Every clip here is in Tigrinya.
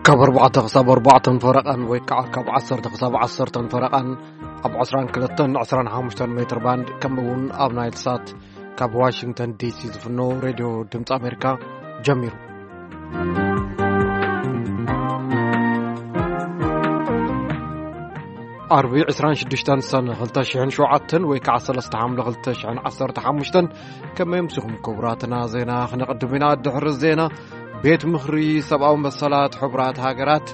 ካብ ኣርባዕተ ክሳብ ኣርባዕተ ፈረቓን ወይ ከዓ ካብ ዓሰርተ ክሳብ ዓሰርተ ፈረቓን ኣብ ዕስራን ክልተን ዕስራን ሓሙሽተን ሜትር ባንድ፣ ከምኡ እውን ኣብ ናይል ሳት ካብ ዋሽንግተን ዲሲ ዝፍኖ ሬድዮ ድምፂ ኣሜሪካ ጀሚሩ። ዓርቢ ዕስራን ሽዱሽተን ሰነ ክልተ ሽሕን ሸውዓተን ወይ ከዓ ሰለስተ ሓምለ ክልተ ሽሕን ዓሰርተ ሓሙሽተን። ከመይ ኣምሲኹም ክቡራትና? ዜና ክነቕድም ኢና። ድሕሪ ዜና፣ ቤት ምኽሪ ሰብኣዊ መሰላት ሕቡራት ሃገራት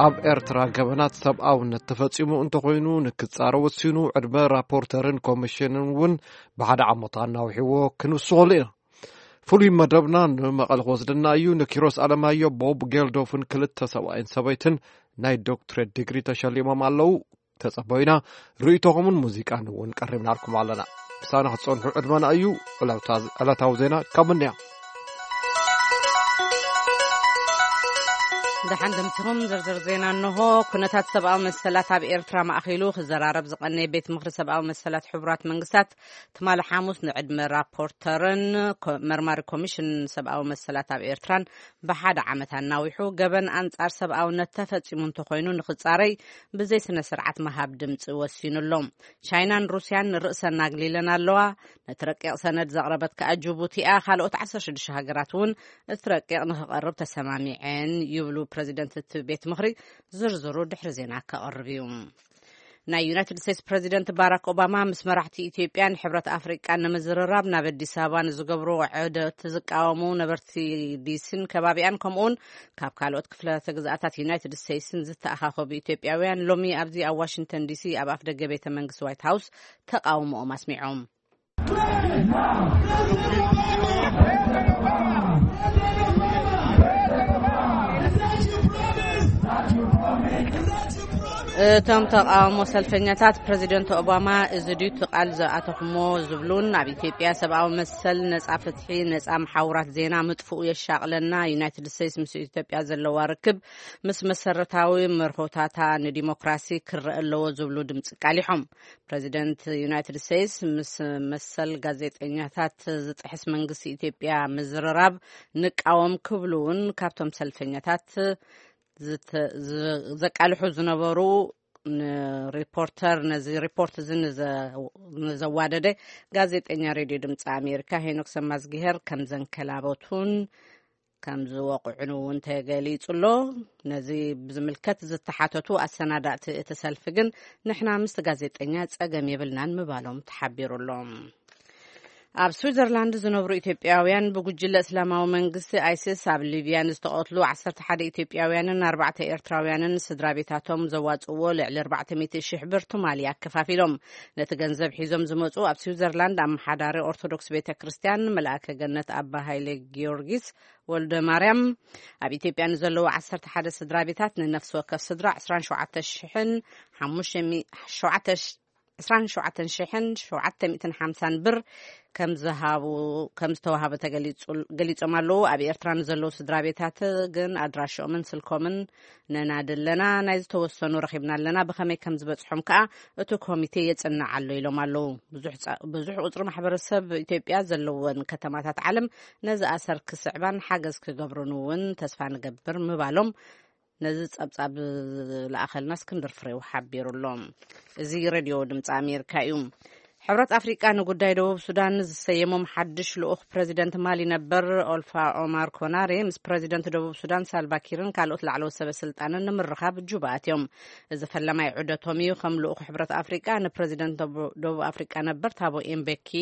ኣብ ኤርትራ ገበናት ሰብኣውነት ተፈጺሙ እንተኾይኑ ንክጻረ ወሲኑ፣ ዕድመ ራፖርተርን ኮሚሽንን እውን ብሓደ ዓመት ኣናዊሕዎ ክንውስኸሉ ኢና። ፍሉይ መደብና ንመቐለ ክወስደና እዩ። ንኪሮስ ኣለማዮ፣ ቦብ ጌልዶፍን ክልተ ሰብኣይን ሰበይትን ናይ ዶክትሬት ዲግሪ ተሸሊሞም ኣለዉ። ተጸበዩና፣ ርእይቶኹምን ሙዚቃን እውን ቀሪብናልኩም ኣለና። ምሳና ክትጸንሑ ዕድመና እዩ። ዕለታ-፣ ዕለታዊ ዜና ካብ ምንያ። ደሓን ደምስኹም። ዝርዝር ዜና እንሆ። ኩነታት ሰብኣዊ መሰላት ኣብ ኤርትራ ማእኺሉ ክዘራረብ ዝቐነየ ቤት ምኽሪ ሰብኣዊ መሰላት ሕቡራት መንግስታት ትማሊ ሓሙስ ንዕድመ ራፖርተርን ኮ-፣ መርማሪ ኮሚሽን ሰብኣዊ መሰላት ኣብ ኤርትራን ብሓደ ዓመት ኣናዊሑ፣ ገበን ኣንጻር ሰብኣውነት ተፈጺሙ እንተኾይኑ ንኽጻረይ ብዘይ ስነ ስርዓት ምሃብ ድምጺ ወሲኑ ኣሎ። ቻይናን ሩስያን ንርእሰን ኣግሊለን ኣለዋ። ነቲ ረቂቕ ሰነድ ዘቕረበት ከኣ ጅቡቲ እያ። ካልኦት ዓሰርተ ሽዱሽተ ሃገራት እውን እቲ ረቂቕ ንኽቐርብ ተሰማሚዐን ይብሉ ፕረዚደንት እቲ ቤት ምኽሪ። ዝርዝሩ ድሕሪ ዜና ከቕርብ እዩ። ናይ ዩናይትድ ስቴትስ ፕረዚደንት ባራክ ኦባማ ምስ መራሕቲ ኢትዮጵያን ሕብረት ኣፍሪቃን ንምዝርራብ ናብ ኣዲስ ኣበባ ንዝገብርዎ ዑደት ዝቃወሙ ነበርቲ ዲሲን ከባቢኣን፣ ከምኡውን ካብ ካልኦት ክፍላተ ግዝኣታት ዩናይትድ ስቴትስን ዝተኣኻኸቡ ኢትዮጵያውያን ሎሚ ኣብዚ ኣብ ዋሽንግተን ዲሲ ኣብ ኣፍ ደገ ቤተ መንግስቲ ዋይት ሃውስ ተቃውሞኦም ኣስሚዖም። እቶም ተቃውሞ ሰልፈኛታት፣ ፕረዚደንት ኦባማ፣ እዚ ድዩ እቲ ቃል ዝኣተኹሞ ዝብሉን፣ ኣብ ኢትዮጵያ ሰብኣዊ መሰል፣ ነጻ ፍትሒ፣ ነጻ መሓውራት ዜና ምጥፍኡ የሻቕለና፣ ዩናይትድ ስቴትስ ምስ ኢትዮጵያ ዘለዋ ርክብ ምስ መሰረታዊ መርሆታታ ንዲሞክራሲ ክረአ ኣለዎ ዝብሉ ድምፂ ቃሊሖም። ፕረዚደንት ዩናይትድ ስቴትስ ምስ መሰል ጋዜጠኛታት ዝጥሕስ መንግስቲ ኢትዮጵያ ምዝርራብ ንቃወም ክብሉ እውን ካብቶም ሰልፈኛታት ዝተ-፣ ዝ-፣ ዘቃልሑ ዝነበሩ ንሪፖርተር፣ ነዚ ሪፖርት እዚ ንዘ-፣ ንዘዋደደ ጋዜጠኛ ሬድዮ ድምፂ ኣሜሪካ ሄኖክ ሰማዝግሄር ከም ዘንከላበቱን ከም ዝወቕዑን እውን ተገሊጹ ኣሎ። ነዚ ብዝምልከት ዝተሓተቱ ኣሰናዳእቲ እቲ ሰልፊ ግን፣ ንሕና ምስቲ ጋዜጠኛ ጸገም የብልናን ምባሎም ተሓቢሩ ኣሎ። ኣብ ስዊዘርላንድ ዝነብሩ ኢትዮጵያውያን፣ ብጉጅለ እስላማዊ መንግስቲ ኣይሲስ ኣብ ሊብያ ንዝተቐትሉ ዓሰርተ ሓደ ኢትዮጵያውያንን ኣርባዕተ ኤርትራውያንን ስድራ ቤታቶም ዘዋጽእዎ ልዕሊ ኣርባዕተ ሚእቲ ሽሕ ብር ትማሊ ኣከፋፊሎም። ነቲ ገንዘብ ሒዞም ዝመጹ ኣብ ስዊዘርላንድ ኣመሓዳሪ ኦርቶዶክስ ቤተ ክርስቲያን መልኣከ ገነት ኣባ ሃይለ ጊዮርጊስ ወልደ ማርያም፣ ኣብ ኢትዮጵያ ንዘለዉ ዓሰርተ ሓደ ስድራ ቤታት ንነፍሲ ወከፍ ስድራ ዕስራን ሸውዓተ ሽሕን ሓሙሽተ ሚእቲ፣ ሸውዓተ፣ ዕስራን ሸውዓተን ሽሕን ሸውዓተ ሚእትን ሓምሳን ብር ከም ዝሃቡ፣ ከም ዝተዋሃበ ተገሊጹ፣ ገሊጾም ኣለዉ። ኣብ ኤርትራ ንዘለዉ ስድራ ቤታት ግን ኣድራሽኦምን ስልኮምን ነናዲ ኣለና። ናይ ዝተወሰኑ ረኺብና ኣለና። ብኸመይ ከም ዝበጽሖም ከኣ እቲ ኮሚቴ የጽንዕ ኣሎ ኢሎም ኣለዉ። ብዙሕ ጸ-፣ ብዙሕ ቁጽሪ ማሕበረሰብ ኢትዮጵያ ዘለወን ከተማታት ዓለም ነዚ ኣሰር ክስዕባን ሓገዝ ክገብሩን እውን ተስፋ ንገብር ምባሎም ነዚ ጸብጻብ ዝለኣኸልና እስክንድር ፍሬው ሓቢሩ ኣሎ። እዚ ሬድዮ ድምፂ ኣሜሪካ እዩ። ሕብረት ኣፍሪቃ ንጉዳይ ደቡብ ሱዳን ዝሰየሞም ሓድሽ ልኡኽ ፕረዚደንት ማሊ ነበር ኦልፋ ኦማር ኮናሬ ምስ ፕረዚደንት ደቡብ ሱዳን ሳልቫ ኪርን ካልኦት ላዕለዎት ሰበ ስልጣንን ንምርኻብ ጁባ ኣትዮም። እዚ ፈለማይ ዑደቶም እዩ። ከም ልኡኽ ሕብረት ኣፍሪቃ ንፕረዚደንት ደቡ-፣ ደቡብ ኣፍሪቃ ነበር ታቦ ኤምቤኪ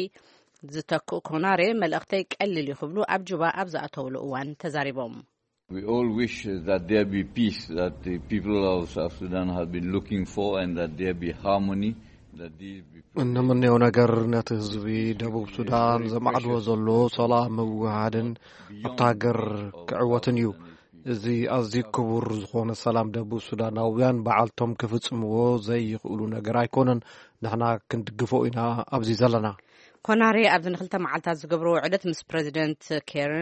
ዝተክኡ ኮናሬ፣ መልእኽተይ ቀሊል እዩ ክብሉ ኣብ ጁባ ኣብ ዝኣተውሉ እዋን ተዛሪቦም። We all wish that there be peace that the people of South Sudan have been looking for and that there be harmony, that these be እንምንዮ ነገር ነቲ ህዝቢ ደቡብ ሱዳን ዘማዕድዎ ዘሎ ሰላም ምውሃድን ኣብታ ሃገር ክዕወትን እዩ። እዚ ኣዝዩ ክቡር ዝኾነ ሰላም ደቡብ ሱዳናውያን በዓልቶም ክፍጽምዎ ዘይኽእሉ ነገር ኣይኮነን። ንሕና ክንድግፎ ኢና ኣብዚ ዘለና። ኮናሬ ኣብዚ ንክልተ መዓልታት ዝገብርዎ ዑደት ምስ ፕረዚደንት ኬር-፣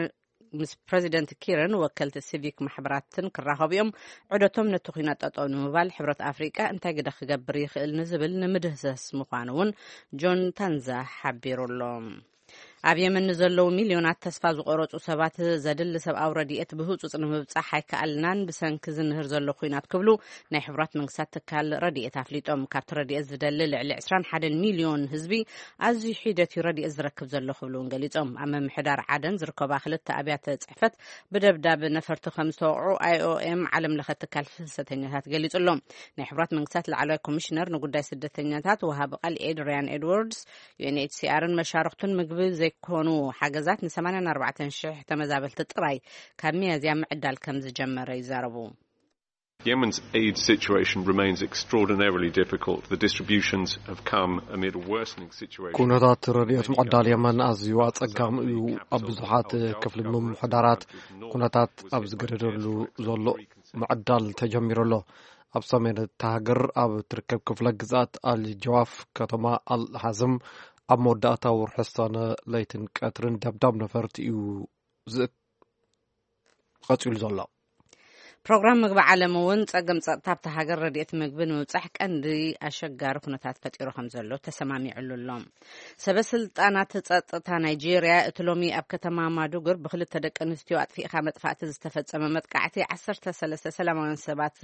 ምስ ፕረዚደንት ኪርን ወከልቲ ሲቪክ ማሕበራትን ክራኸቡ እዮም። ዑደቶም ነቲ ኲናት ጠጠው ንምባል ሕብረት ኣፍሪቃ እንታይ ግደ ክገብር ይኽእል ንዝብል ንምድህሰስ ምዃኑ እውን ጆን ታንዛ ሓቢሩ ኣሎ። ኣብ የመን ንዘለዉ ሚልዮናት ተስፋ ዝቆረጹ ሰባት ዘድሊ ሰብኣዊ ረድኤት ብህጹጽ ንምብጻሕ ኣይከኣልናን ብሰንኪ ዝንህር ዘሎ ኲናት ክብሉ ናይ ሕቡራት መንግስታት ትካል ረድኤት ኣፍሊጦም። ካብቲ ረድኤት ዝደሊ ልዕሊ ዕስራን ሓደን ሚልዮን ህዝቢ ኣዝዩ ሒደት እዩ ረድኤት ዝረክብ ዘሎ ክብሉ እውን ገሊጾም። ኣብ ምምሕዳር ዓደን ዝርከባ ክልተ ኣብያተ ጽሕፈት ብደብዳብ ነፈርቲ ከም ዝተወቕዑ ኣይኦኤም ዓለም ለኸ ትካል ፍልሰተኛታት ገሊጹ ኣሎ። ናይ ሕቡራት መንግስታት ላዕለዋይ ኮሚሽነር ንጉዳይ ስደተኛታት ወሃቢ ቃል ኤድሪያን ኤድዋርድስ ዩ ኤን ኤች ሲ ኣርን መሻርክቱን ምግቢ ዘይኮኑ ሓገዛት ን84,000 ተመዛበልቲ ጥራይ ካብ ሚያዝያ ምዕዳል ከም ዝጀመረ ይዛረቡ። Yemen's aid situation remains extraordinarily difficult. The distributions have come amid a worsening situation. ኩነታት ረድኤት ምዕዳል የመን ኣዝዩ ኣጸጋሚ እዩ። ኣብ ብዙሓት ክፍሊ ምምሕዳራት ኩነታት ኣብ ዝገደደሉ ዘሎ ምዕዳል ተጀሚሩ ኣሎ። ኣብ ሰሜን እታ ሃገር ኣብ ትርከብ ክፍለ ግዝኣት ኣል ጀዋፍ ከተማ ኣል ሓዝም ኣብ መወዳእታ ወርሒ ሰነ ለይትን ቀትርን ደብዳብ ነፈርቲ እዩ ዝእ- ቀጺሉ ዘሎ። ፕሮግራም ምግቢ ዓለም እውን ጸገም ጸጥታ ኣብታ ሃገር ረድኤት ምግቢ ንምብጻሕ ቀንዲ ኣሸጋሪ ኩነታት ፈጢሩ ከም ዘሎ ተሰማሚዕሉ ኣሎ። ሰበ ስልጣናት ጸጥታ ናይጄርያ እቲ ሎሚ ኣብ ከተማ ማዱጉር ብክልተ ደቂ ኣንስትዮ ኣጥፊእካ መጥፋእቲ ዝተፈጸመ መጥቃዕቲ ዓሰርተ ሰለስተ ሰላማውያን ሰባት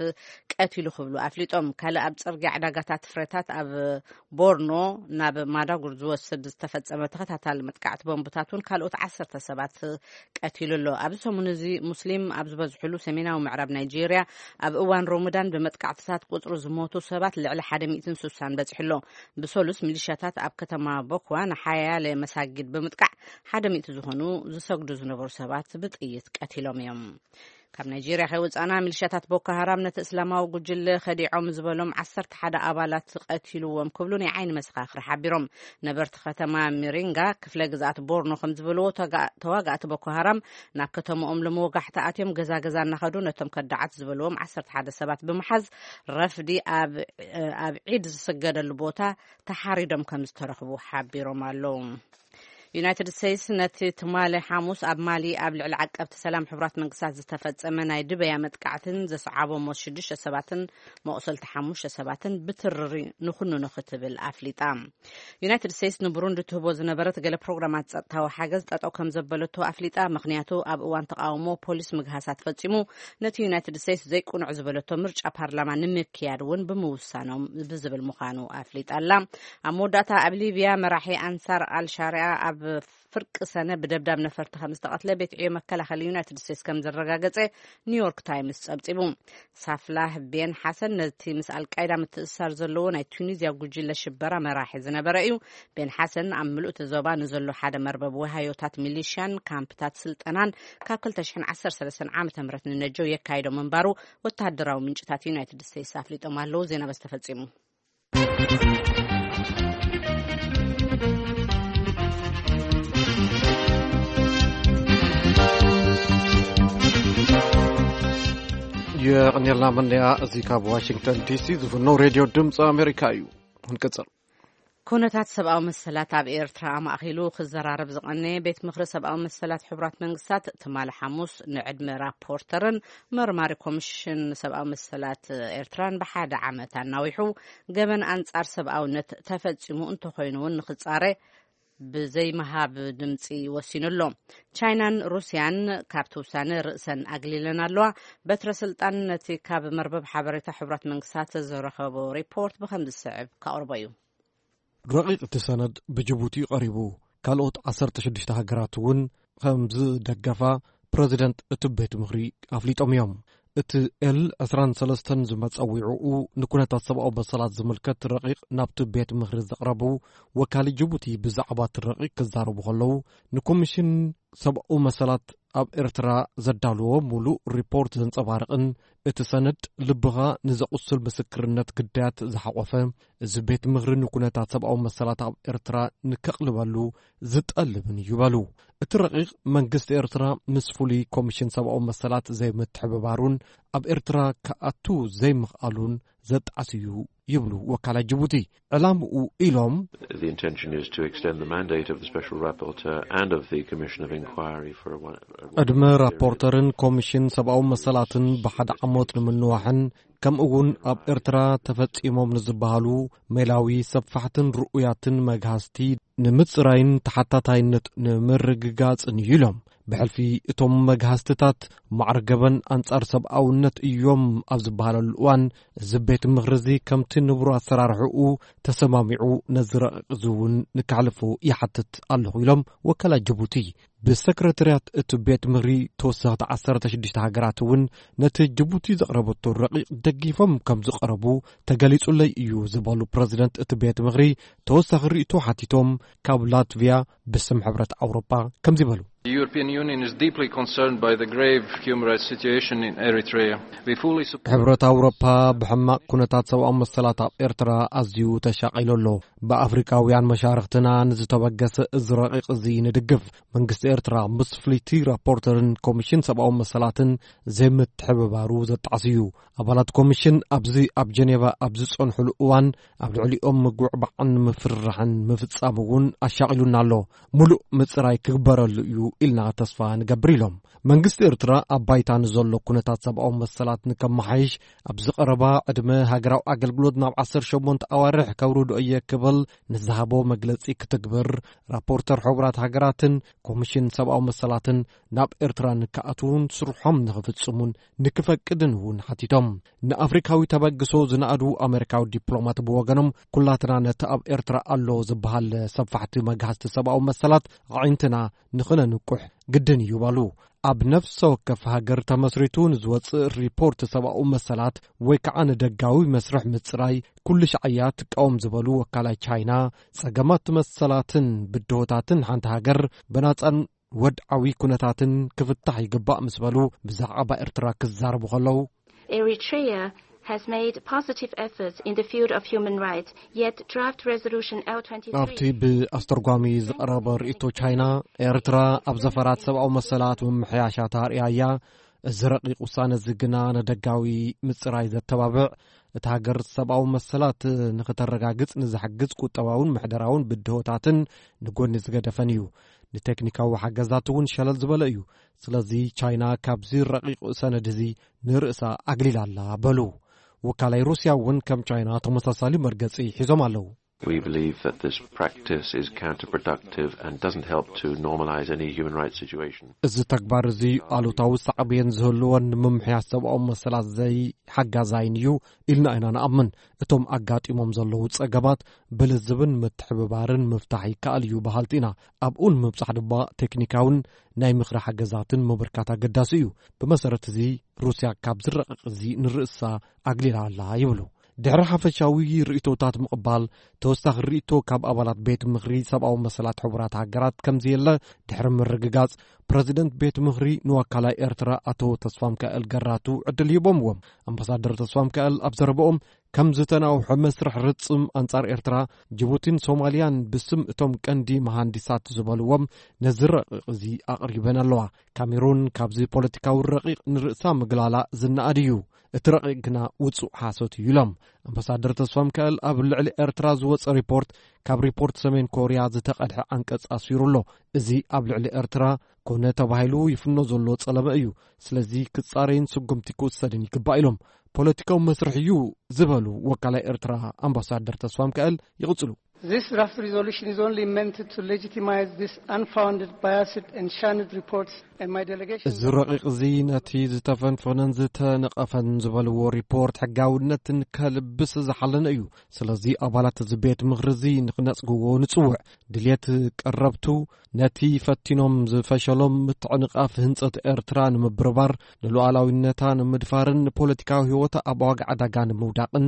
ቀቲሉ ክብሉ ኣፍሊጦም። ካልእ ኣብ ጽርግያ ዕዳጋታት ፍረታት ኣብ ቦርኖ ናብ ማዳጉር ዝወስድ ዝተፈጸመ ተኸታታሊ መጥቃዕቲ ቦምብታት እውን ካልኦት ዓሰርተ ሰባት ቀቲሉ ኣሎ። ኣብዚ ሰሙን እዚ ሙስሊም ኣብ ዝበዝሕሉ ሰሜናዊ ምዕራብ ናይጄርያ ኣብ እዋን ሮሙዳን ብመጥቃዕትታት ቁጽሪ ዝሞቱ ሰባት ልዕሊ ሓደ ሚእትን ስሳን በጺሑ ኣሎ። ብሰሉስ ሚሊሻታት ኣብ ከተማ ቦክዋ ንሓያለ መሳጊድ ብምጥቃዕ ሓደ ሚእቲ ዝኾኑ ዝሰግዱ ዝነበሩ ሰባት ብጥይት ቀቲሎም እዮም። ካብ ናይጄርያ ከይወጻና ሚሊሻታት ቦኮ ሃራም ነቲ እስላማዊ ጉጅለ ከዲዖም ዝበሎም ዓሰርተ ሓደ ኣባላት ቀቲልዎም ክብሉ ናይ ዓይኒ መሰኻኽር ሓቢሮም። ነበርቲ ከተማ ሚሪንጋ ክፍለ ግዝኣት ቦርኖ ከም ዝበልዎ ተጋ- ተዋጋእቲ ቦኮ ሃራም ናብ ከተማኦም ለመወጋሕታ ኣትዮም ገዛ ገዛ እናኸዱ ነቶም ከዳዓት ዝበልዎም ዓሰርተ ሓደ ሰባት ብምሓዝ ረፍዲ ኣብ ኣብ ዒድ ዝስገደሉ ቦታ ተሓሪዶም ከም ዝተረኽቡ ሓቢሮም ኣለዉ። ዩናይትድ ስቴትስ ነቲ ትማሊ ሓሙስ ኣብ ማሊ ኣብ ልዕሊ ዓቀብቲ ሰላም ሕቡራት መንግስታት ዝተፈጸመ ናይ ድበያ መጥቃዕትን ዘስዓቦ ሞት ሽዱሽተ ሰባትን መቑሰልቲ ሓሙሽተ ሰባትን ብትርሪ ንኹንኑ ክትብል ኣፍሊጣ። ዩናይትድ ስቴትስ ንቡሩንዲ ትህቦ ዝነበረት ገለ ፕሮግራማት ጸጥታዊ ሓገዝ ጠጠው ከም ዘበለቶ ኣፍሊጣ። ምኽንያቱ ኣብ እዋን ተቃውሞ ፖሊስ ምግሃሳት ፈጺሙ ነቲ ዩናይትድ ስቴትስ ዘይቅኑዕ ዝበለቶ ምርጫ ፓርላማ ንምክያድ እውን ብምውሳኖም ብዝብል ምዃኑ ኣፍሊጣ ኣላ። ኣብ መወዳእታ ኣብ ሊብያ መራሒ ኣንሳር ኣልሻሪያ ኣብ ፍርቂ ሰነ ብደብዳብ ነፈርቲ ከም ዝተቐትለ ቤት ዕዮ መከላኸሊ ዩናይትድ ስቴትስ ከም ዘረጋገጸ ኒውዮርክ ታይምስ ጸብጺቡ። ሳፍላህ ቤን ሓሰን ነቲ ምስ ኣልቃይዳ ምትእስሳር ዘለዎ ናይ ቱኒዝያ ጉጅለ ሽበራ መራሒ ዝነበረ እዩ። ቤን ሓሰን ኣብ ምሉእ እቲ ዞባ ንዘሎ ሓደ መርበብ ወሃዮታት ሚሊሽያን ካምፕታት ስልጠናን ካብ ክልተ ሽሕን ዓሰርተ ሰለስተን ዓመተ ምህረት ንነጀው የካይዶ ምንባሩ ወተሃደራዊ ምንጭታት ዩናይትድ ስቴትስ ኣፍሊጦም ኣለዉ። ዜና በዚ ተፈጺሙ። የቐንየልና መንያ። እዚ ካብ ዋሽንግተን ዲሲ ዝፍነው ሬድዮ ድምፂ ኣሜሪካ እዩ። ክንቅፅል። ኩነታት ሰብኣዊ መሰላት ኣብ ኤርትራ ኣማእኺሉ ክዘራረብ ዝቐነየ ቤት ምኽሪ ሰብኣዊ መሰላት ሕቡራት መንግስታት ትማሊ ሓሙስ ንዕድመ ራፖርተርን መርማሪ ኮሚሽን ሰብኣዊ መሰላት ኤርትራን ብሓደ ዓመት ኣናዊሑ ገበን ኣንጻር ሰብኣውነት ተፈጺሙ እንተኾይኑ እውን ንኽጻረ ብዘይምሃብ ድምፂ ወሲኑ ኣሎ። ቻይናን ሩስያን ካብቲ ውሳነ ርእሰን ኣግሊለን ኣለዋ። በትረ ስልጣን ነቲ ካብ መርበብ ሓበሬታ ሕቡራት መንግስታት ዝረኸቦ ሪፖርት ብከም ዝስዕብ ከቕርቦ እዩ። ረቂቕ እቲ ሰነድ ብጅቡቲ እዩ ቀሪቡ። ካልኦት ዓሰርተ ሽዱሽተ ሃገራት እውን ከም ዝደገፋ ፕረዚደንት እቲ ቤት ምኽሪ ኣፍሊጦም እዮም። እቲ ኤል ዕስራን ሰለስተን ዝመጸ ዊዕኡ ንኩነታት ሰብኣዊ መሰላት ዝምልከት ረቂቕ ናብቲ ቤት ምኽሪ ዘቕረቡ ወካሊ ጅቡቲ ብዛዕባ እቲ ረቂቕ ክዛረቡ ከለዉ ንኮሚሽን ሰብኣዊ መሰላት ኣብ ኤርትራ ዘዳልዎ ሙሉእ ሪፖርት ዘንጸባርቕን እቲ ሰነድ ልብኻ ንዘቑስል ምስክርነት ግዳያት ዝሓቖፈ እዚ ቤት ምኽሪ ንኩነታት ሰብኣዊ መሰላት ኣብ ኤርትራ ንከቕልበሉ ዝጠልብን እዩ በሉ። እቲ ረቂቕ መንግስቲ ኤርትራ ምስ ፍሉይ ኮሚሽን ሰብኣዊ መሰላት ዘይምትሕብባሩን ኣብ ኤርትራ ክኣቱ ዘይምኽኣሉን ዘጣዕስ እዩ ይብሉ ወካላት ጅቡቲ። ዕላምኡ ኢሎም The intention is to extend the mandate of the Special Rapporteur and of the Commission of Inquiry for a one. ዕድመ ራፖርተርን ኮሚሽን ሰብኣዊ መሰላትን ብሓደ ዓመት ንምንዋሕን ከምኡ እውን ኣብ ኤርትራ ተፈጺሞም ንዝበሃሉ ሜላዊ ሰፋሕትን ርኡያትን መግሃስቲ ንምጽራይን ተሓታታይነት ንምርግጋጽን እዩ ኢሎም። ብሕልፊ እቶም መግሃስትታት ማዕረ ገበን ኣንጻር ሰብኣውነት እዮም ኣብ ዝበሃለሉ እዋን፣ እዚ ቤት ምኽሪ እዚ ከምቲ ንቡር ኣሰራርሕኡ ተሰማሚዑ ነዚ ረቂቕ እዚ እውን ንከሕልፎ ይሓትት ኣለኹ ኢሎም ወከላ ጅቡቲ። ብሰክረታርያት እቲ ቤት ምኽሪ ተወሰኽቲ ዓሰርተ ሽዱሽተ ሃገራት እውን ነቲ ጅቡቲ ዘቕረበቶ ረቂቕ ደጊፎም ከም ዝቐረቡ ተገሊጹለይ እዩ ዝበሉ ፕረዚደንት እቲ ቤት ምኽሪ፣ ተወሳኺ ርእይቶ ሓቲቶም ካብ ላትቪያ ብስም ሕብረት ኣውሮጳ ከምዚ በሉ። The European Union is deeply concerned by the grave human rights situation in Eritrea. We fully support ሕብረት ኣውሮፓ ብሕማቕ ኩነታት ሰብኣዊ መሰላት ኣብ ኤርትራ ኣዝዩ ተሻቒሉ ኣሎ። ብኣፍሪቃውያን መሻርኽትና ንዝተበገሰ እዚ ረቂቕ እዚ ንድግፍ። መንግስቲ ኤርትራ ምስ ፍልይቲ ራፖርተርን ኮሚሽን ሰብኣዊ መሰላትን ዘይምትሕብባሩ ዘጣዕስ እዩ። ኣባላት ኮሚሽን ኣብዚ ኣብ ጀኔቫ ኣብ ዝጸንሑሉ እዋን ኣብ ልዕሊኦም ምጉዕባዕን ምፍርራሕን ምፍጻም እውን ኣሻቒሉና ኣሎ። ሙሉእ ምጽራይ ክግበረሉ እዩ ኢልና ተስፋ ንገብር ኢሎም። መንግስቲ ኤርትራ ኣብ ባይታ ንዘሎ ኩነታት ሰብኣዊ መሰላት ንከመሓይሽ ኣብ ዝቐረባ ዕድመ ሃገራዊ ኣገልግሎት ናብ ዓሰርተ ሸሞንተ ኣዋርሕ ከውርዶ እየ ክብል ንዝሃቦ መግለጺ ክትግብር ራፖርተር ሕቡራት ሃገራትን ኮሚሽን ሰብኣዊ መሰላትን ናብ ኤርትራ ንክኣትዉን ስርሖም ንኽፍጽሙን ንክፈቅድን እውን ሓቲቶም። ንኣፍሪካዊ ተበግሶ ዝነኣዱ ኣሜሪካዊ ዲፕሎማት ብወገኖም፣ ኩላትና ነቲ ኣብ ኤርትራ ኣሎ ዝበሃል ሰፋሕቲ መግሃስቲ ሰብኣዊ መሰላት ኣዒንትና ንኽነንቁሕ ግድን እዩ በሉ። ኣብ ነፍሰ ወከፍ ሃገር ተመስሪቱ ንዝወጽእ ሪፖርት ሰብኣዊ መሰላት ወይ ከዓ ንደጋዊ መስርሕ ምጽራይ ኩሉ ሻዕያ ትቃወም ዝበሉ ወካላይ ቻይና፣ ጸገማት መሰላትን ብድሆታትን ሓንቲ ሃገር ብናጻን ወድዓዊ ኩነታትን ክፍታሕ ይግባእ ምስ በሉ፣ ብዛዕባ ኤርትራ ክዛረቡ ከለዉ Eritrea has made positive efforts in the field of human rights, yet draft resolution L twenty-three ኣብቲ ብኣስተርጓሚ ዝቐረበ ርእይቶ ቻይና፣ ኤርትራ ኣብ ዘፈራት ሰብኣዊ መሰላት ምምሕያሻት ኣርእያ እያ። እዚ ረቂቕ ውሳነ እዚ ግና ንደጋዊ ምጽራይ ዘተባብዕ፣ እቲ ሃገር ሰብኣዊ መሰላት ንኽተረጋግጽ ንዝሕግዝ ቁጠባውን ምሕደራውን ብድሆታትን ንጎኒ ዝገደፈን እዩ። ንቴክኒካዊ ሓገዛት እውን ሸለል ዝበለ እዩ። ስለዚ ቻይና ካብዚ ረቂቕ ሰነድ እዚ ንርእሳ ኣግሊላ ኣላ በሉ። ወካላይ ሩስያ እውን ከም ቻይና ተመሳሳሊ መርገጺ ሒዞም ኣለዉ። We believe that this practice is counterproductive and doesn't help to normalize any human rights situation. እዚ ተግባር እዚ ኣሉታዊ ሳዕቤን ዝህልዎን ንምምሕያሽ ሰብኣዊ መሰላት ዘይሓጋዛይን እዩ ኢልና ኢና ንኣምን። እቶም ኣጋጢሞም ዘለዉ ጸገማት ብልዝብን ምትሕብባርን ምፍታሕ ይከኣል እዩ በሃልቲ ኢና። ኣብኡ ንምብጻሕ ድማ ቴክኒካውን ናይ ምኽሪ ሓገዛትን ምብርካት ኣገዳሲ እዩ። ብመሰረት እዚ ሩስያ ካብ ዝረቐቕ እዚ ንርእሳ ኣግሊላ ኣላ ይብሉ። ድሕሪ ሓፈሻዊ ርእይቶታት ምቕባል፣ ተወሳኺ ርእይቶ ካብ ኣባላት ቤት ምኽሪ ሰብኣዊ መሰላት ሕቡራት ሃገራት ከምዘየለ ድሕሪ ምርግጋጽ፣ ፕረዚደንት ቤት ምኽሪ ንወካላይ ኤርትራ ኣቶ ተስፋሚካኤል ገራቱ ዕድል ሂቦምዎም። ኣምባሳደር ተስፋሚካኤል ኣብ ዘረበኦም፣ ከም ዝተናውሐ መስርሕ ርጽም ኣንጻር ኤርትራ፣ ጅቡቲን ሶማልያን ብስም እቶም ቀንዲ መሃንዲሳት ዝበልዎም ነዚ ረቂቕ እዚ ኣቕሪበን ኣለዋ። ካሜሩን ካብዚ ፖለቲካዊ ረቂቕ ንርእሳ ምግላላ ዝነኣድ እዩ። እቲ ረቂቕ ግና ውጹእ ሓሶት እዩ ኢሎም። ኣምባሳደር ተስፋሚካኤል ኣብ ልዕሊ ኤርትራ ዝወጸ ሪፖርት ካብ ሪፖርት ሰሜን ኮርያ ዝተቐድሐ ኣንቀጽ ኣስፊሩ ኣሎ። እዚ ኣብ ልዕሊ ኤርትራ ኮነ ተባሂሉ ይፍኖ ዘሎ ጸለመ እዩ። ስለዚ ክጻረይን ስጉምቲ ክውሰድን ይግባእ ኢሎም። ፖለቲካዊ መስርሕ እዩ ዝበሉ ወካላይ ኤርትራ ኣምባሳደር ተስፋሚካኤል ይቕጽሉ። This draft resolution is only meant to legitimize this unfounded, biased and shunned reports, and my delegation እዚ ረቂቕ እዚ ነቲ ዝተፈንፈነን ዝተነቐፈን ዝበልዎ ሪፖርት ሕጋውነትን ከልብስ ዝሓለነ እዩ። ስለዚ ኣባላት እዚ ቤት ምኽሪ እዚ ንኽነጽግዎ ንጽውዕ። ድልየት ቀረብቱ ነቲ ፈቲኖም ዝፈሸሎም ምትዕንቓፍ ህንጸት ኤርትራ ንምብርባር፣ ንሉዓላዊነታ ንምድፋርን ንፖለቲካዊ ህይወታ ኣብ ዋጋ ዕዳጋ ንምውዳቕን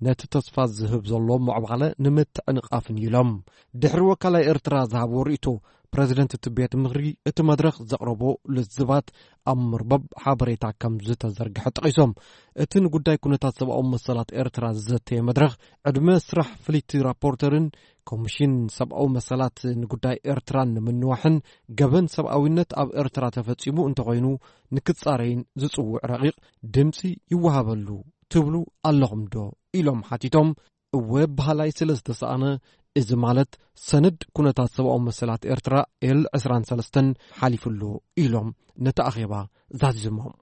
ነቲ ተስፋ ዝህብ ዘሎ ምዕባለ ንምትዕንቓፍን ኢሎም። ድሕሪ ወካላይ ኤርትራ ዝሃቦ ርእይቶ፣ ፕረዚደንት እቲ ቤት ምኽሪ እቲ መድረኽ ዘቕረቦ ልዝባት ኣብ መርበብ ሓበሬታ ከም ዝተዘርግሐ ጠቒሶም፣ እቲ ንጉዳይ ኩነታት ሰብኣዊ መሰላት ኤርትራ ዝዘተየ መድረኽ፣ ዕድመ ስራሕ ፍልይቲ ራፖርተርን ኮሚሽን ሰብኣዊ መሰላት ንጉዳይ ኤርትራን ንምንዋሕን፣ ገበን ሰብኣዊነት ኣብ ኤርትራ ተፈጺሙ እንተኾይኑ ንክጻረይን ዝጽውዕ ረቂቕ ድምጺ ይወሃበሉ ትብሉ ኣለኹም ዶ? ኢሎም ሓቲቶም። እወ በሃላይ ስለ ዝተሰኣነ፣ እዚ ማለት ሰነድ ኩነታት ሰብኣዊ መሰላት ኤርትራ ኤል ዕስራን ሰለስተን ሓሊፉ ኣሎ ኢሎም ነቲ ኣኼባ ዛዚሞም።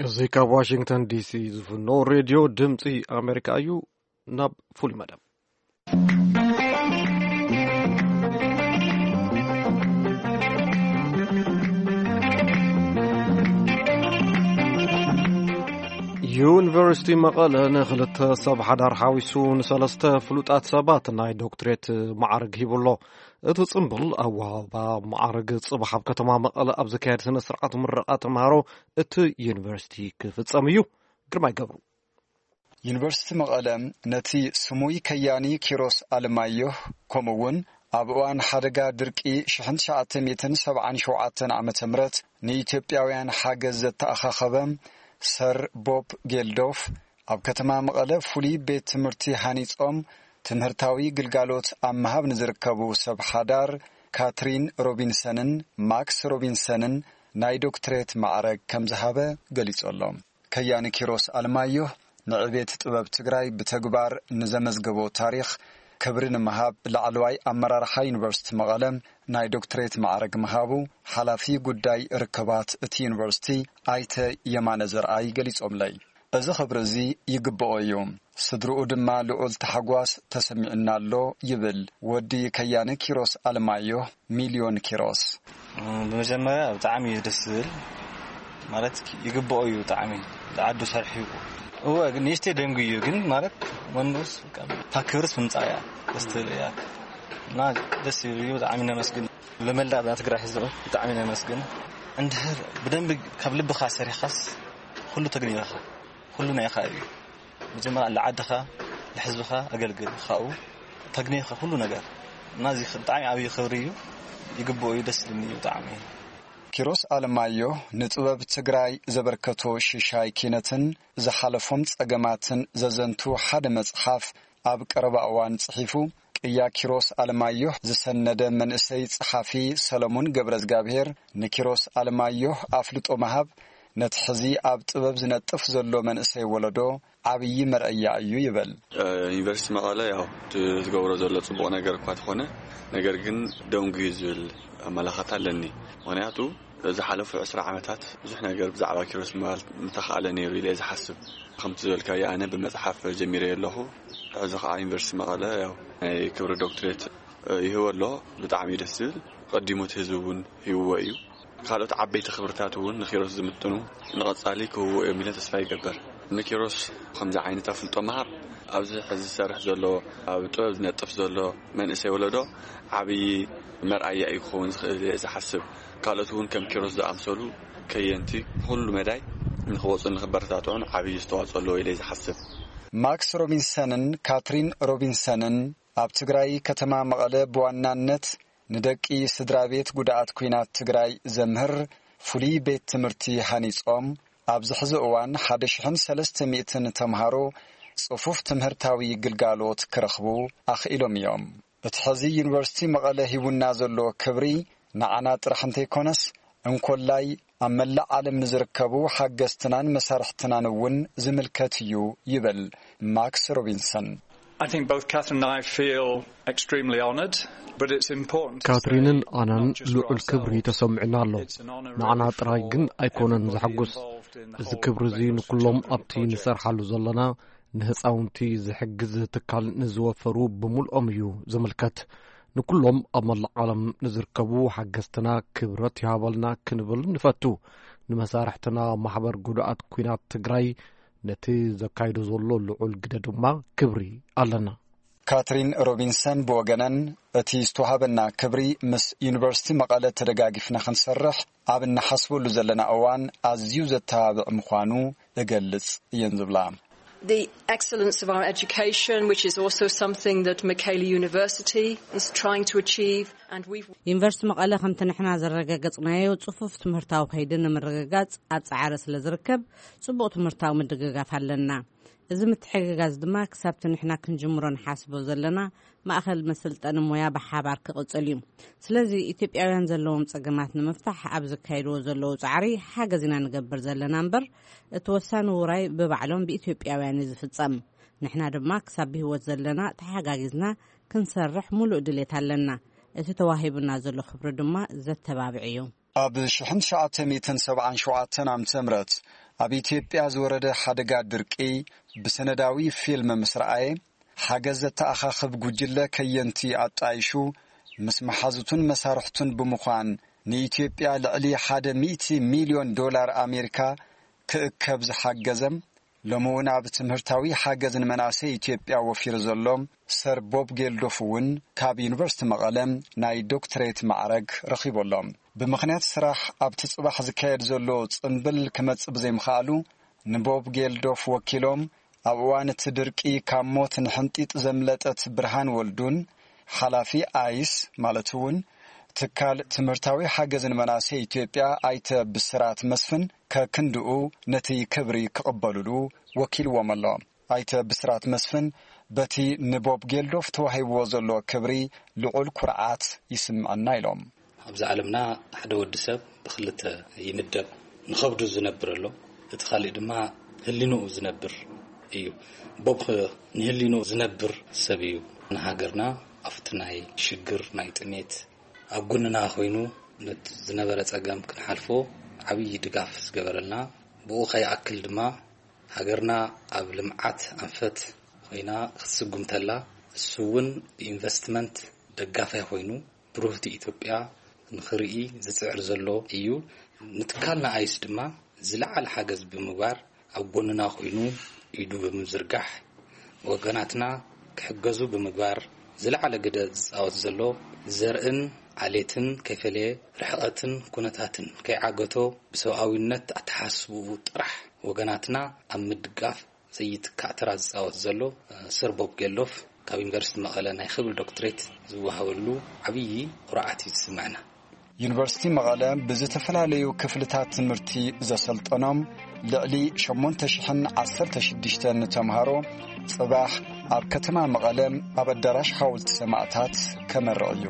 እዚ ካብ ዋሽንግተን ዲሲ ዝፍኖ ሬድዮ ድምፂ ኣሜሪካ እዩ። ናብ ፍሉይ መደብ። ዩኒቨርሲቲ መቐለ ንክልተ ሰብ ሓዳር ሓዊሱ ንሰለስተ ፍሉጣት ሰባት ናይ ዶክትሬት ማዕርግ ሂቡ ኣሎ። እቲ ጽምብል ኣወሃባ ማዕርግ ጽባሕ ኣብ ከተማ መቐለ ኣብ ዝካየድ ስነ ስርዓት ምረቓ ተምሃሮ እቲ ዩኒቨርሲቲ ክፍጸም እዩ። ግርማይ ገብሩ። ዩኒቨርሲቲ መቐለ ነቲ ስሙይ ከያኒ ኪሮስ ኣለማየሁ፣ ከምኡ እውን ኣብ እዋን ሓደጋ ድርቂ ሽሕን ትሽዓተ ሚእትን ሰብዓን ሸውዓተን ዓመተ ምህረት ንኢትዮጵያውያን ሓገዝ ዘተኣኻኸበ ሰር ቦብ ጌልዶፍ፣ ኣብ ከተማ መቐለ ፍሉይ ቤት ትምህርቲ ሃኒጾም ትምህርታዊ ግልጋሎት ኣብ ምሃብ ንዝርከቡ ሰብ ሓዳር ካትሪን ሮቢንሰንን ማክስ ሮቢንሰንን ናይ ዶክትሬት ማዕረግ ከም ዝሃበ ገሊጹ ኣሎ። ከያኒ ኪሮስ ኣለማየሁ ንዕቤት ጥበብ ትግራይ ብተግባር ንዘመዝገቦ ታሪኽ ክብሪ ንምሃብ ላዕለዋይ ኣመራርሓ ዩኒቨርሲቲ መቐለ ናይ ዶክትሬት ማዕረግ ምሃቡ ሓላፊ ጉዳይ ርክባት እቲ ዩኒቨርሲቲ ኣይተ የማነ ዘርኣይ ገሊጾምለይ። እዚ ክብሪ እዚ ይግብኦ እዩ። ስድርኡ ድማ ልዑል ታሕጓስ ተሰሚዑና ኣሎ ይብል ወዲ ከያኒ ኪሮስ ኣለማየሁ ሚልዮን ኪሮስ። ብመጀመርያ ብጣዕሚ እዩ ደስ ዝብል፣ ማለት ይግብኦ እዩ ብጣዕሚ። ዝዓዱ ሰርሑ እወ፣ ግን ንእሽተይ ደንጉ እዩ ግን ማለት ወንዶስ ካብ ክብርስ ምምፃእ እያ ደስ ትብል እያ። እና ደስ ይብል እዩ። ብጣዕሚ ነመስግን። ለመላእ ትግራይ ህዝቢ ብጣዕሚ ነመስግን። እንድሕር ብደንብ ካብ ልብኻ ሰሪኻስ ኩሉ ተግኒኻ፣ ኩሉ ናይኻ እዩ። መጀመርያ ለዓድኻ፣ ለሕዝብኻ ኣገልግል፣ ካብኡ ተግኒኻ ኩሉ ነገር። እና እዚ ብጣዕሚ ዓብዪ ክብሪ እዩ። ይግብኦ እዩ። ደስ ዝብልኒ እዩ ብጣዕሚ። ኪሮስ ኣለማዮ ንጥበብ ትግራይ ዘበርከቶ ሽሻይ ኪነትን ዝሓለፎም ጸገማትን ዘዘንቱ ሓደ መጽሓፍ ኣብ ቀረባ እዋን ጽሒፉ። ቅያ ኪሮስ ኣለማዮህ ዝሰነደ መንእሰይ ጸሓፊ ሰለሙን ገብረ እግዚኣብሔር ንኪሮስ ኣለማዮህ ኣፍልጦ ምሃብ ነቲ ሕዚ ኣብ ጥበብ ዝነጥፍ ዘሎ መንእሰይ ወለዶ ዓብዪ መርኣያ እዩ ይብል። ዩኒቨርሲቲ መቐለ ያው ትገብሮ ዘሎ ጽቡቕ ነገር እኳ ተኾነ፣ ነገር ግን ደንጉዩ ዝብል ኣመላኻታ ኣለኒ። ምኽንያቱ ዝሓለፉ ዕስራ ዓመታት ብዙሕ ነገር ብዛዕባ ኪሮስ ምባል ምተኻእለ ነይሩ ኢለ እየ ዝሓስብ። ከምቲ ዝበልካዮ ኣነ ብመጽሓፍ ጀሚረ ኣለኹ። ሕዚ ከዓ ዩኒቨርሲቲ መቐለ ያው ናይ ክብሪ ዶክትሬት ይህቦ ኣሎ። ብጣዕሚ እዩ ደስ ዝብል። ቀዲሙ እቲ ህዝቢ እውን ሂብዎ እዩ። ካልኦት ዓበይቲ ክብርታት እውን ንኪሮስ ዝምጥኑ ንቐጻሊ ክህብዎ እዮም ኢለ ተስፋ ይገብር። ንኪሮስ ከምዚ ዓይነት ኣፍልጦ ምሃብ ኣብዚ ሕዚ ዝሰርሕ ዘሎ ኣብ ጥበብ ዝነጥፍ ዘሎ መንእሰይ ወለዶ ዓብዪ መርኣያ እዩ ክኸውን ዝኽእል እየ ዝሓስብ። ካልኦት እውን ከም ኪሮስ ዝኣምሰሉ ከየንቲ ብኹሉ መዳይ ንክወፁ ንክበረታትዑን ዓብዪ ዝተዋፅኦ ኣለዎ ኢለ ዝሓስብ። ማክስ ሮቢንሰንን ካትሪን ሮቢንሰንን ኣብ ትግራይ ከተማ መቐለ ብዋናነት ንደቂ ስድራ ቤት ጉድኣት ኲናት ትግራይ ዘምህር ፍሉይ ቤት ትምህርቲ ሃኒጾም ኣብዚ ሕዚ እዋን ሓደ ሽሕን ሰለስተ ሚእትን ተምሃሮ ጽፉፍ ትምህርታዊ ግልጋሎት ክረኽቡ ኣኽኢሎም እዮም። እቲ ሕዚ ዩኒቨርሲቲ መቐለ ሂቡና ዘሎ ክብሪ ንዓና ጥራሕ እንተይኮነስ እንኮላይ ኣብ መላእ ዓለም ንዝርከቡ ሓገዝትናን መሳርሕትናን እውን ዝምልከት እዩ ይብል ማክስ ሮቢንሰን። I think both Catherine and I feel extremely honoured, but it's important to ካትሪንን say ኣናን not just for ልዑል ክብሪ ourselves. ተሰሚዑና ኣሎ። It's an honour ንዓና really ጥራይ for ግን ኣይኮነን everybody ዘሐጉስ። involved in the እዚ whole ክብሪ እዚ Breakfast for ንኩሎም Children ኣብቲ project. ንሰርሓሉ ዘለና ንህፃውንቲ ዝሕግዝ ትካል ንዝወፈሩ ብምልኦም እዩ ዝምልከት። ንኩሎም ኣብ መላእ ዓለም ንዝርከቡ ሓገዝትና ክብረት ይሃበልና ክንብል ንፈቱ። ንመሳርሕትና ማሕበር ጉድኣት ኲናት ትግራይ ነቲ ዘካይዶ ዘሎ ልዑል ግደ ድማ ክብሪ ኣለና። ካትሪን ሮቢንሰን ብወገነን እቲ ዝተዋህበና ክብሪ ምስ ዩኒቨርሲቲ መቐለ ተደጋጊፍና ክንሰርሕ ኣብ እንሓስበሉ ዘለና እዋን ኣዝዩ ዘተባብዕ ምዃኑ እገልጽ እየን ዝብላ። The excellence of our education, which is also something that Michaela University is trying to achieve, and we've ዩኒቨርሲቲ መቐለ ከምቲ ንሕና ዘረጋገጽናዮ ጽፉፍ ትምህርታዊ ከይዲ ንምርግጋጽ ኣብ ጻዕሪ ስለ ዝርከብ ጽቡቕ ትምህርታዊ ምድግጋፍ ኣለና። እዚ ምትሕግጋዝ ድማ ክሳብቲ ንሕና ክንጅምሮ ንሓስቦ ዘለና ማእኸል መሰልጠኒ ሞያ ብሓባር ክቕጽል እዩ። ስለዚ ኢትዮጵያውያን ዘለዎም ጸገማት ንምፍታሕ ኣብ ዝካየድዎ ዘለዉ ጻዕሪ ሓገዝ ኢና ንገብር ዘለና እምበር፣ እቲ ወሳኒ ውራይ ብባዕሎም ብኢትዮጵያውያን እዩ ዝፍጸም። ንሕና ድማ ክሳብ ብህይወት ዘለና ተሓጋጊዝና ክንሰርሕ ሙሉእ ድሌት ኣለና። እቲ ተዋሂቡና ዘሎ ክብሪ ድማ ዘተባብዕ እዩ። ኣብ ሽሕን ትሽዓተ ሚእትን ሰብዓን ሸውዓተን ዓመተ ምህረት ኣብ ኢትዮጵያ ዝወረደ ሓደጋ ድርቂ ብሰነዳዊ ፊልም ምስ ረኣየ፣ ሓገዝ ዘተኣኻኽብ ጉጅለ ከየንቲ ኣጣይሹ ምስ መሓዙቱን መሳርሕቱን ብምዃን ንኢትዮጵያ ልዕሊ ሓደ ሚእቲ ሚልዮን ዶላር ኣሜሪካ ክእከብ ዝሓገዘም፣ ሎሚ እውን ኣብ ትምህርታዊ ሓገዝ ንመናእሰይ ኢትዮጵያ ወፊሩ ዘሎ ሰር ቦብ ጌልዶፍ እውን ካብ ዩኒቨርሲቲ መቐለ ናይ ዶክትሬት ማዕረግ ረኺቡ ኣሎ። ብምኽንያት ስራሕ ኣብቲ ጽባሕ ዝካየድ ዘሎ ጽምብል ክመጽእ ብዘይምኽኣሉ፣ ንቦብ ጌልዶፍ ወኪሎም ኣብ እዋን እቲ ድርቂ ካብ ሞት ንሕንጢጥ ዘምለጠት ብርሃን ወልዱን ሓላፊ ኣይስ ማለት እውን ትካል ትምህርታዊ ሓገዝ ንመናእሰይ ኢትዮጵያ ኣይተ ብስራት መስፍን ከክንድኡ ነቲ ክብሪ ክቕበሉሉ ወኪልዎም ኣሎ። ኣይተ ብስራት መስፍን በቲ ንቦብ ጌልዶፍ ተዋሂብዎ ዘሎ ክብሪ ልዑል ኩርዓት ይስምዐና ኢሎም። ኣብዚ ዓለምና ሓደ ወዲ ሰብ ብክልተ ይምደብ። ንኸብዱ ዝነብር ኣሎ፣ እቲ ካልእ ድማ ህሊንኡ ዝነብር እዩ። ቦብ ኸ ንህሊንኡ ዝነብር ሰብ እዩ። ንሃገርና ኣብቲ ናይ ሽግር፣ ናይ ጥሜት ኣብ ጎንና ኮይኑ ነቲ ዝነበረ ጸገም ክንሓልፎ ዓብዪ ድጋፍ ዝገበረልና፣ ብኡ ከይኣክል ድማ ሃገርና ኣብ ልምዓት ኣንፈት ኮይና ክትስጉም ተላ፣ እሱ እውን ብኢንቨስትመንት ደጋፋይ ኮይኑ ብሩህቲ ኢትዮጵያ ንኽርኢ ዝጽዕር ዘሎ እዩ። ንትካልና ኣይስ ድማ ዝለዓለ ሓገዝ ብምግባር ኣብ ጎንና ኮይኑ ኢዱ ብምዝርጋሕ ወገናትና ክሕገዙ ብምግባር ዝለዓለ ግደ ዝጻወት ዘሎ፣ ዘርእን ዓሌትን ከይፈለየ፣ ርሕቐትን ኩነታትን ከይዓገቶ ብሰብኣዊነት ኣተሓሳስብኡ ጥራሕ ወገናትና ኣብ ምድጋፍ ዘይትካእ ተራ ዝጻወት ዘሎ፣ እ፣ ሰር ቦብ ጌልዶፍ ካብ ዩኒቨርሲቲ መቐለ ናይ ክብል ዶክትሬት ዝወሃበሉ ዓብዪ ኩርዓት እዩ ዝስምዐና። ዩኒቨርሲቲ መቐለ ብዝተፈላለዩ ክፍልታት ትምህርቲ ዘሰልጠኖም ልዕሊ ሸሞንተ ሽሕን ዓሰርተ ሽዱሽተን ተምሃሮ ጽባሕ ኣብ ከተማ መቐለ ኣብ ኣዳራሽ ሓወልቲ ሰማእታት ከመርቕ እዩ።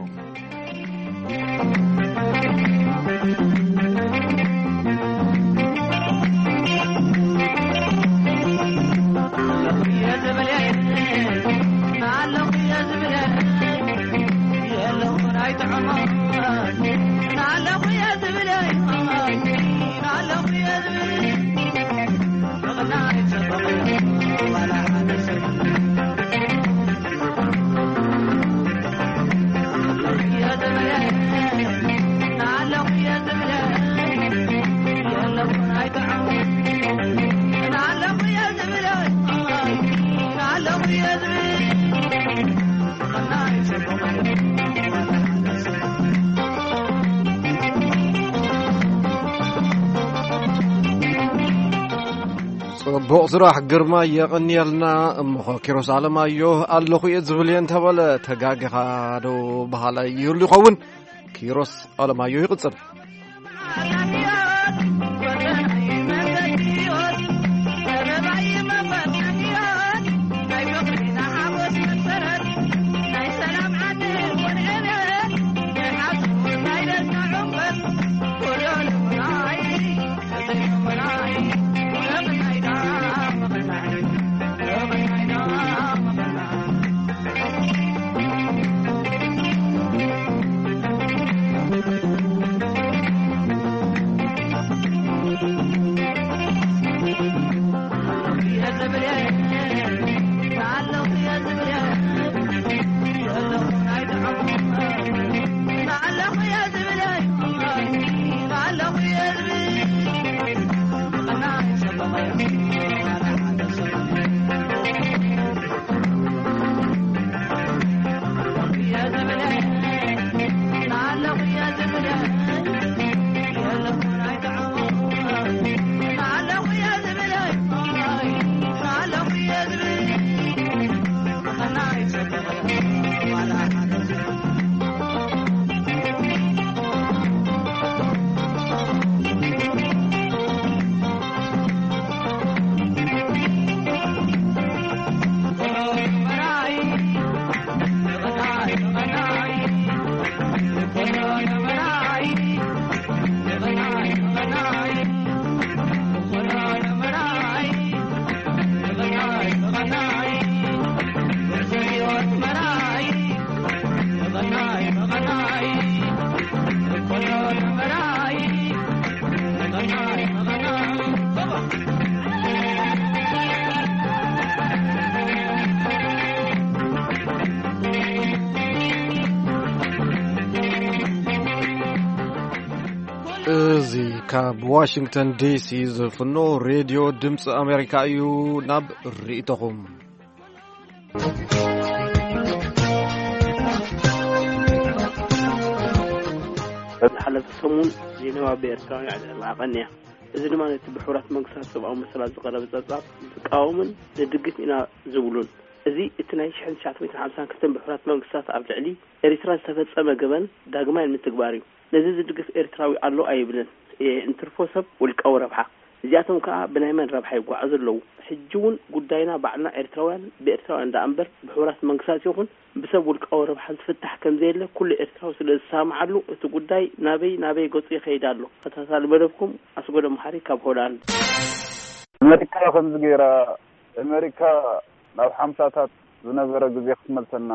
ጽቡቕ ስራሕ ግርማ፣ የቐንየልና። እሞኸ ኪሮስ ኣለማዮ ኣለኹ እየ ዝብል እየ እንተበለ ተጋጊኻ ዶ በሃላይ ይህሉ ይኸውን? ኪሮስ ኣለማዮ ይቕጽል። ካብ ዋሽንግተን ዲሲ ዝፍኖ ሬድዮ ድምፂ ኣሜሪካ እዩ። ናብ ርእይቶኹም። ዝሓለፈ ሰሙን ጄኔቫ ብኤርትራውያን ኣዕለቕላቐን እያ። እዚ ድማ ነቲ ብሕቡራት መንግስታት ሰብኣዊ መሰላት ዝቐረበ ጸብጻብ ዝቃወምን ንድግፍ ኢና ዝብሉን። እዚ እቲ ናይ ሽሕን ትሽዓተ ሚእትን ሓምሳን ክልተን ብሕቡራት መንግስታት ኣብ ልዕሊ ኤርትራ ዝተፈጸመ ገበን ዳግማይ ንምትግባር እዩ። ነዚ ዝድግፍ ኤርትራዊ ኣሎ ኣይብልን እየ፣ እንትርፎ ሰብ ውልቃዊ ረብሓ። እዚኣቶም ከኣ ብናይ መን ረብሓ ይጓዓዙ ኣለዉ? ሕጂ እውን ጉዳይና ባዕልና ኤርትራውያን ብኤርትራውያን ደኣ እምበር ብሕቡራት መንግስታት ይኹን ብሰብ ውልቃዊ ረብሓ ዝፍታሕ ከም ዘየለ ኩሉ ኤርትራዊ ስለ ዝሰማማዓሉ እቲ ጉዳይ ናበይ ናበይ ገጹ ይኸይድ ኣሎ። ተኸታታሊ መደብኩም ኣስጎዶ መሓሪ ካብ ሆላንድ። ኣመሪካ ከምዚ ገይራ፣ ኣመሪካ ናብ ሓምሳታት ዝነበረ ግዜ ክትመልሰና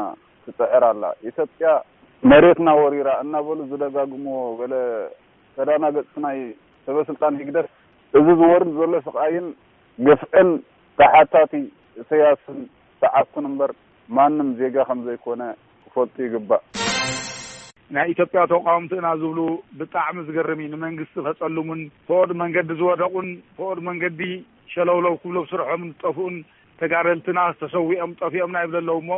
ትጽዕር ኣላ። ኢትዮጵያ መሬትና ወሪራ እናበሉ ዝደጋግምዎ ገለ ተዳናገጽቲ ናይ ሰበ ስልጣን ህግደፍ፣ እዚ ዝወርድ ዘሎ ስቓይን ግፍዕን ተሓታቲ ኢሳያስን ሰዓብቱን እምበር ማንም ዜጋ ከም ዘይኮነ ክፈልጡ ይግባእ። ናይ ኢትዮጵያ ተቃወምቲ ኢና ዝብሉ ብጣዕሚ ዝገርም እዩ። ንመንግስቲ ከጸልሙን ፈኦድ መንገዲ ዝወደቁን ፈኦድ መንገዲ ሸለውለው ክብሎ ብስርሖም ዝጠፍኡን ተጋደልትና ተሰዊኦም ጠፊኦም ናይ ብለለው እሞ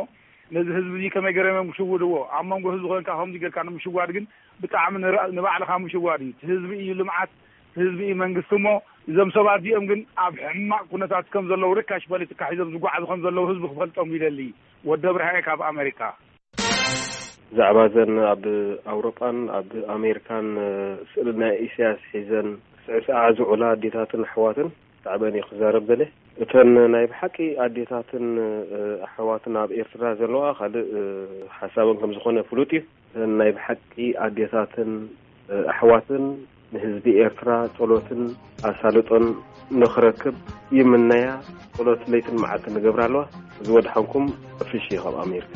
ነዚ ህዝቢ እዚ ከመይ ገይሮም እዮም ክሽውድዎ? ኣብ መንጎ ህዝቢ ኮንካ ከምዚ ጌርካ ንምሽዋድ ግን ብጣዕሚ ንራ-፣ ንባዕልኻ ምሽዋድ እዩ። እቲ ህዝቢ እዩ ልምዓት፣ እቲ ህዝቢ እዩ መንግስቲ እሞ እዞም ሰባት እዚኦም ግን ኣብ ሕማቕ ኩነታት ከም ዘለዉ ርካሽ ፖለቲካ ሒዞም ዝጓዓዙ ከም ዘለዉ ህዝቢ ክፈልጦም ይደሊ። ወደ ብርሃየ ካብ ኣሜሪካ። ብዛዕባ እዘን ኣብ ኣውሮጳን ኣብ ኣሜሪካን ስእሊ ናይ ኢሳያስ ሒዘን ስዕስዓ ዝውዕላ ኣዴታትን ኣሕዋትን ብዛዕበን እዩ ክዛረብ ደለ። እተን ናይ ብሓቂ ኣዴታትን ኣሕዋትን ኣብ ኤርትራ ዘለዋ ካልእ ሓሳበን ከም ዝኾነ ፍሉጥ እዩ። እተን ናይ ብሓቂ ኣዴታትን ኣሕዋትን ንህዝቢ ኤርትራ ጸሎትን ኣሳልጦን ንኽረክብ ይምነያ። ጸሎት ለይትን መዓልትን ንገብራ ኣለዋ። እዚ ወድሓንኩም። ፍሺ ካብ ኣሜሪካ።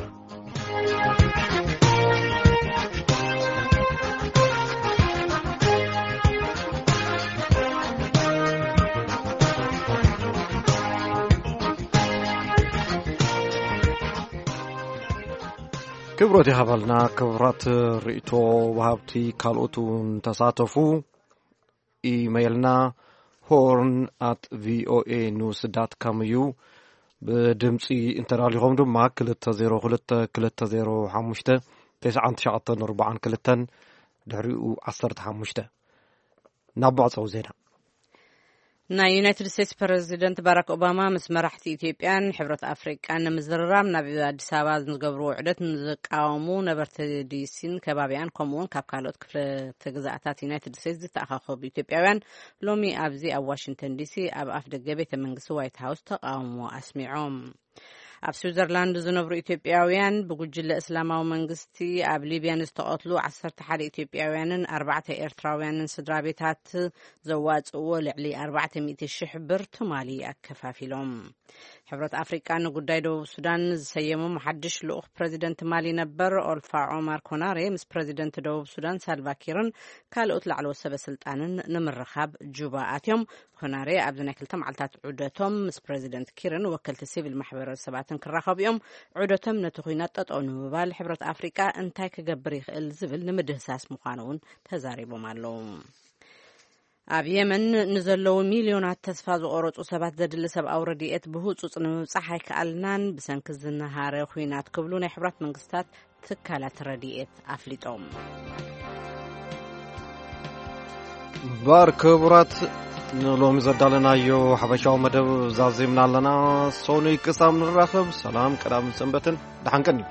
ክብሮት ይሃበልና። ክብራት ርእይቶ ወሃብቲ ካልኦት እውን ተሳተፉ። ኢመይልና ሆርን ኣት ቪኦኤ ኒውስ ዳት ካም እዩ። ብድምፂ እንተዳሊኹም ድማ ክልተ ዜሮ ክልተ ክልተ ዜሮ ሓሙሽተ ተስዓን ትሽዓተን ኣርባዓን ክልተን ድሕሪኡ ዓሰርተ ሓሙሽተ። ናብ መዕፀዊ ዜና። ናይ ዩናይትድ ስቴትስ ፕረዚደንት ባራክ ኦባማ ምስ መራሕቲ ኢትዮጵያን ሕብረት ኣፍሪቃን ንምዝርራብ ናብ ኣዲስ ኣበባ ንዝገብርዎ ውዕደት ንዝቃወሙ ነበርቲ ዲሲን ከባቢኣን ከምኡውን ካብ ካልኦት ክፍለ ግዛኣታት ዩናይትድ ስቴትስ ዝተኣኻኸቡ ኢትዮጵያውያን ሎሚ ኣብዚ ኣብ ዋሽንግተን ዲሲ ኣብ ኣፍ ደገ ቤተ መንግስቲ ዋይት ሃውስ ተቃውሞ ኣስሚዖም። ኣብ ስዊዘርላንድ ዝነብሩ ኢትዮጵያውያን ብጉጅለ እስላማዊ መንግስቲ ኣብ ሊብያ ንዝተቐትሉ ዓሰርተ ሓደ ኢትዮጵያውያንን ኣርባዕተ ኤርትራውያንን ስድራ ቤታት ዘዋጽእዎ ልዕሊ ኣርባዕተ ሚእቲ ሽሕ ብር ትማሊ ኣከፋፊሎም። ሕብረት ኣፍሪቃ ንጉዳይ ደቡብ ሱዳን ዝሰየሞም ሓድሽ ልኡኽ ፕረዚደንት ማሊ ነበር ኦልፋ ዖማር ኮናሬ ምስ ፕረዚደንት ደቡብ ሱዳን ሳልቫኪርን ካልኦት ላዕለዎት ሰበ ስልጣንን ንምርኻብ ጁባ ኣትዮም። ኮናሬ ኣብዚ ናይ ክልተ መዓልታት ዑደቶም ምስ ፕረዚደንት ኪርን ወከልቲ ሲቪል ማሕበረሰባትን ክራኸቡ እዮም። ዑደቶም ነቲ ኲናት ጠጠው ንምባል ሕብረት ኣፍሪቃ እንታይ ክገብር ይኽእል ዝብል ንምድህሳስ ምዃኑ እውን ተዛሪቦም ኣለዉ። ኣብ የመን ንዘለዉ ሚልዮናት ተስፋ ዝቆረጹ ሰባት ዘድሊ ሰብኣዊ ረድኤት ብህጹጽ ንምብጻሕ ኣይከኣልናን ብሰንኪ ዝነሃረ ኲናት ክብሉ ናይ ሕብራት መንግስታት ትካላት ረድኤት ኣፍሊጦም። እምበር ክቡራት፣ ንሎሚ ዘዳለናዮ ሓፈሻዊ መደብ ዛዚምና ኣለና። ሶኑይ ክሳብ ንራኸብ፣ ሰላም ቀዳምን ሰንበትን፣ ደሓን ቀኒ።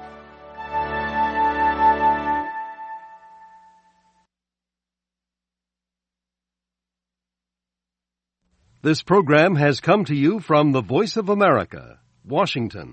This program has come to you from the Voice of America, Washington.